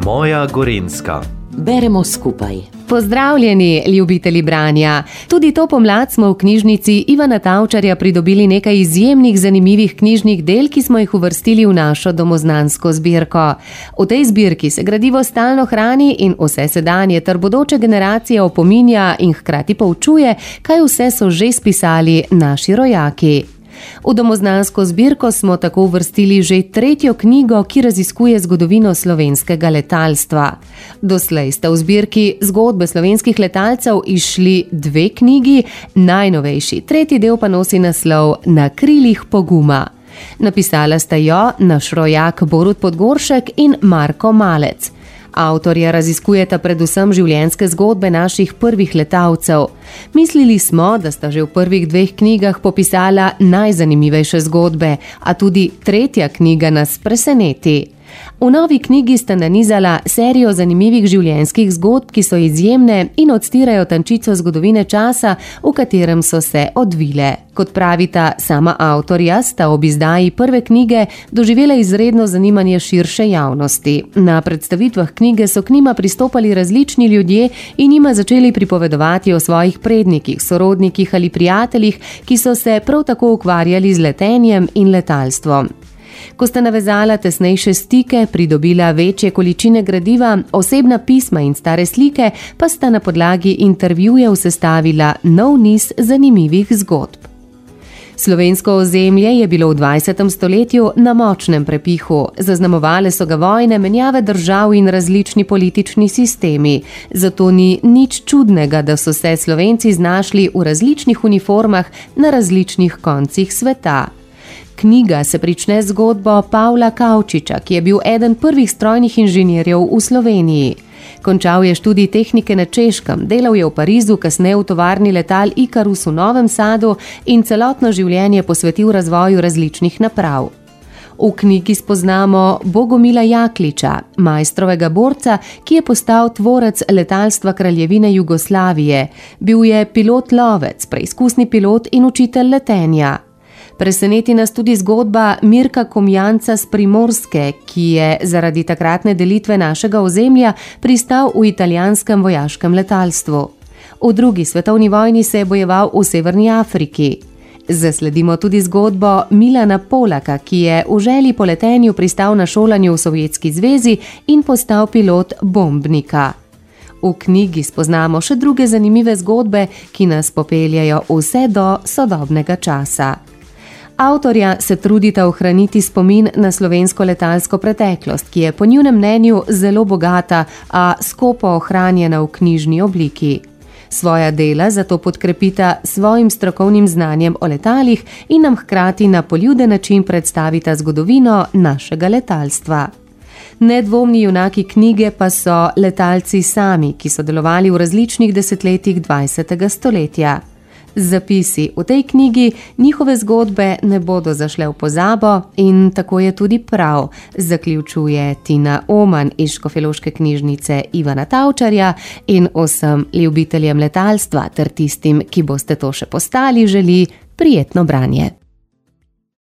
Moja Gorenjska. Beremo skupaj. Pozdravljeni, ljubitelji branja. Tudi to pomlad smo v knjižnici Ivana Tavčarja pridobili nekaj izjemnih, zanimivih knjižnih del, ki smo jih uvrstili v našo domoznansko zbirko. V tej zbirki se gradivo stalno hrani in vse sedanje ter bodoče generacije opominja in hkrati poučuje, kaj vse so že spisali naši rojaki. V domoznansko zbirko smo tako uvrstili že 3. knjigo, ki raziskuje zgodovino slovenskega letalstva. Doslej sta v zbirki zgodbe slovenskih letalcev izšli 2 knjigi, najnovejši 3. del pa nosi naslov Na krilih poguma. Napisala sta jo naš rojak Borut Podgoršek in Marko Malec. Avtorja raziskujeta predvsem življenjske zgodbe naših prvih letalcev. Mislili smo, da sta že v prvih 2 knjigah popisala najzanimivejše zgodbe, a tudi 3. knjiga nas preseneti. V novi knjigi sta nanizala serijo zanimivih življenjskih zgodb, ki so izjemne in odstirajo tančico zgodovine časa, v katerem so se odvile. Kot pravita sama avtorja, sta ob izdaji prve knjige doživela izredno zanimanje širše javnosti. Na predstavitvah knjige so k njima pristopali različni ljudje in njima začeli pripovedovati o svojih prednikih, sorodnikih ali prijateljih, ki so se prav tako ukvarjali z letenjem in letalstvom. Ko sta navezala tesnejše stike, pridobila večje količine gradiva, osebna pisma in stare slike, pa sta na podlagi intervjujev sestavila nov niz zanimivih zgodb. Slovensko ozemlje je bilo v 20. stoletju na močnem prepihu. Zaznamovale so ga vojne, menjave držav in različni politični sistemi. Zato ni nič čudnega, da so se Slovenci znašli v različnih uniformah na različnih koncih sveta. Knjiga se prične z zgodbo Pavla Kavčiča, ki je bil eden prvih strojnih inženirjev v Sloveniji. Končal je študij tehnike na Češkem, delal je v Parizu, kasneje v tovarni letal Ikarus v Novem Sadu in celotno življenje posvetil razvoju različnih naprav. V knjigi spoznamo Bogomila Jakliča, majstrovega borca, ki je postal tvorec letalstva Kraljevine Jugoslavije. Bil je pilot-lovec, preizkusni pilot in učitelj letenja. Preseneti nas tudi zgodba Mirka Komjanca z Primorske, ki je zaradi takratne delitve našega ozemlja pristal v italijanskem vojaškem letalstvu. V 2. svetovni vojni se je bojeval v Severni Afriki. Zasledimo tudi zgodbo Milana Polaka, ki je v želji po letenju pristal na šolanju v Sovjetski zvezi in postal pilot bombnika. V knjigi spoznamo še druge zanimive zgodbe, ki nas popeljajo vse do sodobnega časa. Avtorja se trudita ohraniti spomin na slovensko letalsko preteklost, ki je po njunem mnenju zelo bogata, a skopo ohranjena v knjižni obliki. Svoja dela zato podkrepita svojim strokovnim znanjem o letalih in nam hkrati na poljuden način predstavita zgodovino našega letalstva. Nedvomni junaki knjige pa so letalci sami, ki so delovali v različnih desetletjih 20. stoletja. Zapisi v tej knjigi njihove zgodbe ne bodo zašle v pozabo in tako je tudi prav, zaključuje Tina Oman iz Škofjeloške knjižnice Ivana Tavčarja in vsem ljubiteljem letalstva ter tistim, ki boste to še postali, želi prijetno branje.